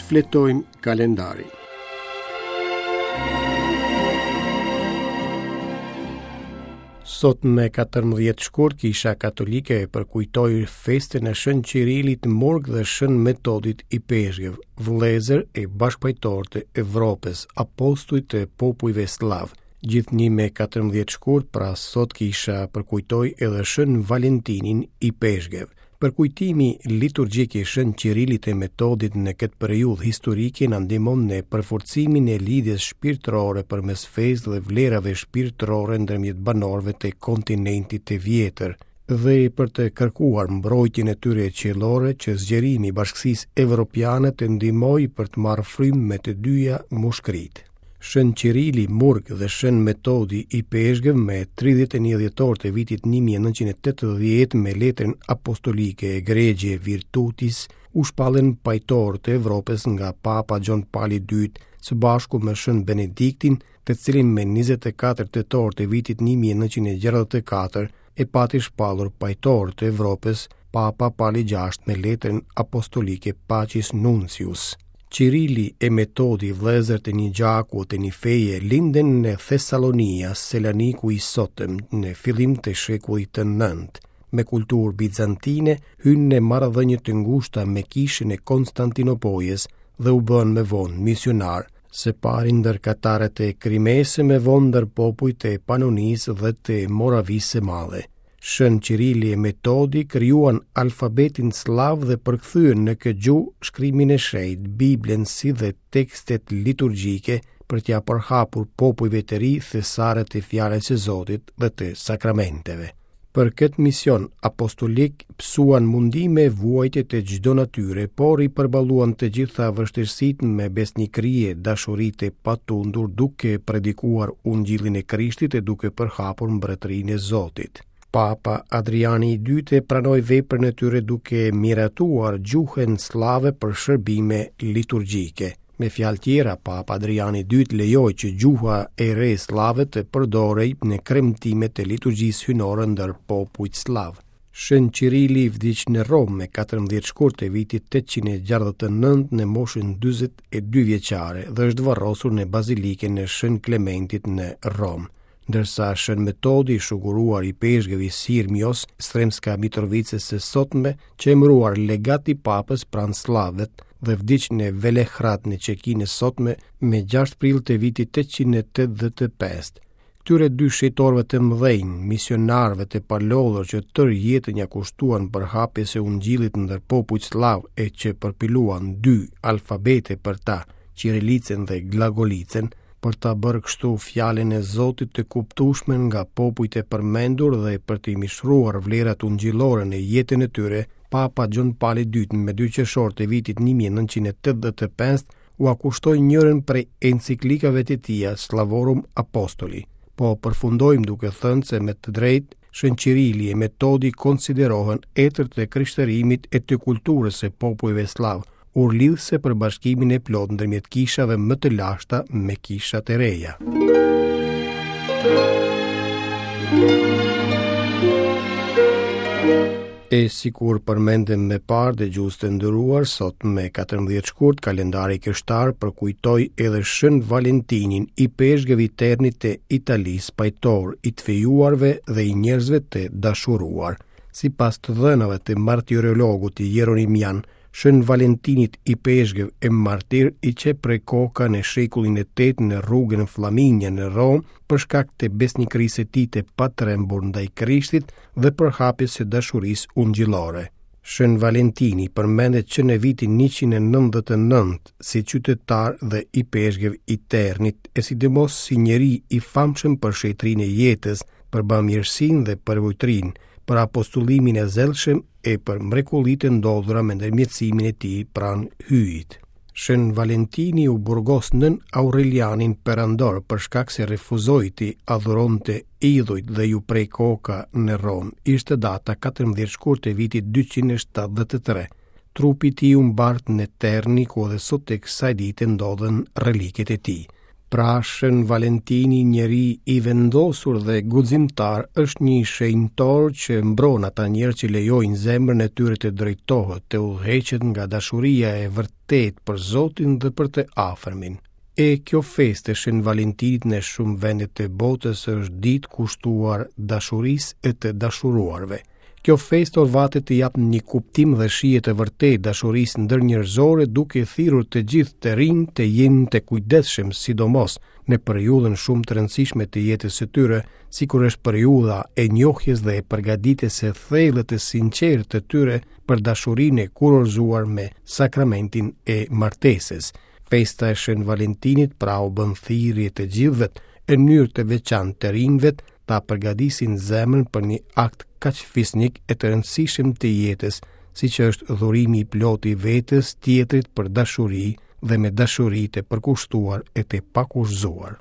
Shfletojmë kalendarin. Sot me 14 shkurt Kisha Katolike e përkujtoi festën e Shën Qirilit Murg dhe Shën Metodit Ipeshkëv, vëllezër e bashkëpajtorë të Evropës, apostuj të popujve sllavë. Gjithnjë me 14 shkurt, pra sot Kisha përkujtoi edhe Shën Valentinin Ipeshkëv. Përkujtimi liturgjik i Shën Qirilit e Metodit në këtë periudhë historike na ndihmon në përforcimin e lidhjes shpirtërore përmes fesë dhe vlerave shpirtërore ndërmjet banorëve të kontinentit të vjetër dhe për të kërkuar mbrojtjen e tyre qiellore që zgjerimi i bashkësisë evropiane të ndihmojë për të marrë frymë me të dyja mushkëritë. Shën Qirili Murg dhe Shën Metodi Ipeshkëv me 31 dhjetor të vitit 1980 me letrën apostolike Egregie Virtutis u shpallën pajtorë të Evropës nga Papa Gjon Pali II së bashku me Shën Benediktin, të cilin me 24 tetor të vitit 1964 e pati shpallur pajtor të Evropës Papa Pali VI me letrën apostolike Pacis Nuntius. Qirili e Metodi vëllezër të një gjaku të një feje lindën në Thessalonia, Selaniku i sotëm, në fillim të shekullit të nëntë. Me kulturë bizantine hynë në marrëdhënie të ngushta me kishën e Konstantinopojës dhe u bënë më vonë misionarë, së pari ndër katarët e Krimesë, më vonë ndër popujt e Panonisë dhe të Moravisë së Madhe. Shën Qirili e Metodi krijuan alfabetin sllav dhe përkthyen në këtë gjuhë shkrimin e shenjtë, Biblën si dhe tekstet liturgjike për t'ia përhapur popujve të ri thesaret e fjalës së Zotit dhe të sakramenteve. Për këtë mision apostolik pësuan mundime e vuajtje të çdo natyre, por i përballuan të gjitha vështirësitë me besnikëri e dashuri të patundur duke predikuar ungjillin e Krishtit e duke përhapur mbretërinë e Zotit. Papa Adriani i II e pranoi veprën e tyre duke miratuar gjuhën sllave për shërbime liturgjike. Me fjalë tjera, Papa Adriani II lejoi që gjuha e re sllave të përdorej në kremtimet e liturgjisë hyjnore ndër popujt sllavë. Shën Qirili vdiq në Romë me 14 shkurt të vitit 869 në moshën 42 vjeçare dhe është varrosur në Bazilikën e Shën Klementit në Romë. Ndërsa Shën Metodi, i shuguruar ipeshkëv i Sirmios, Sremska Mitrovicës së sotme, qe emëruar legat i papës pranë sllavët dhe vdiq në Velehrad në Çekinë e sotme me 6 prill të vitit 885. Këtyre dy shenjtorëve të mëdhenj, misionarëve të palodhur që tërë jetën ia kushtuan përhapjes së ungjillit ndër popujt sllavë e që përpiluan dy alfabete për ta, Qirilicën dhe Glagolicën, për ta bërë kështu fjalën e Zotit të kuptueshme nga popujt e përmendur dhe për t'i mishëruar vlerat ungjillore në jetën e tyre, Papa Gjon Pali II me 2 qershor të vitit 1985 ua kushtoi njërën prej enciklikave të tija Slavorum Apostoli. Po përfundojmë duke thënë se me të drejtë Shën Qirili e Metodi konsiderohen etër të krishterimit e të kulturës së popujve sllavë, urë lidhëse për bashkimin e plotë ndërmjet kishave më të lashta me kishat e reja. E sikur përmendëm më parë dëgjues të nderuar, sot me 14 shkurt kalendari krishtar përkujtoi edhe Shën Valentinin, ipeshkëv i Ternit të Italisë, pajtor i të fejuarve dhe i njerëzve të dashuruar. Sipas të dhënave të martirologut Jeronimian, Shën Valentinit ipeshkëv e martir i qe pre koka në shekullin e 8 në rrugën Flaminia në Romë për shkak të besnikërisë së tij të patrembur ndaj Krishtit dhe përhapjes së dashurisë ungjillore. Shën Valentini përmendet që në vitin 199 si qytetar dhe ipeshkëv i Ternit e sidomos si njeri i famshëm për shenjtërinë e jetës, për bamirësinë dhe përvujtërinë, për apostullimin e zellshëm e për mrekullitë e ndodhura me ndërmjetësimin e tij pranë Hyjit. Shën Valentini u burgos nën Aurelianin perandor për shkak se refuzoi t'i adhuronte idhujt dhe iu pre koka në Romë. Ishte data 14 shkurt e vitit 273. Trupi i tij u mbart në Terni, ku edhe sot e kësaj dite ndodhen reliket e tij. Pra Shën Valentini njeri i vendosur dhe guximtar është një shenjtor që mbron ata njerëz që lejojnë zemrën e tyre të drejtohet, të udhëheqet nga dashuria e vërtetë për Zotin dhe për të afërmin. E kjo festë e Shën Valentinit në shumë vende të botës është ditë kushtuar dashurisë e të dashuruarve. Kjo festë orvatet t'i japë një kuptim dhe shije të vërtetë dashurisë ndërnjerëzore duke thirrur të gjithë të rinjtë të jenë të kujdesshëm sidomos në periudhën shumë të rëndësishme të jetës së tyre, sikur është periudha e njohjes dhe e përgatitjes së thellë të sinqertë të tyre për dashurinë e kurorëzuar me sakramentin e martesës. Festa e Shën Valentinit pra u bën thirrje të gjithëve, e në mënyrë të veçantë të rinjve, ta përgatisin zemrën për një akt kaq fisnik e të rëndësishëm të jetës, siç është dhurimi i plotë i vetes tjetrit për dashuri dhe me dashuri të përkushtuar e të pakushtëzuar.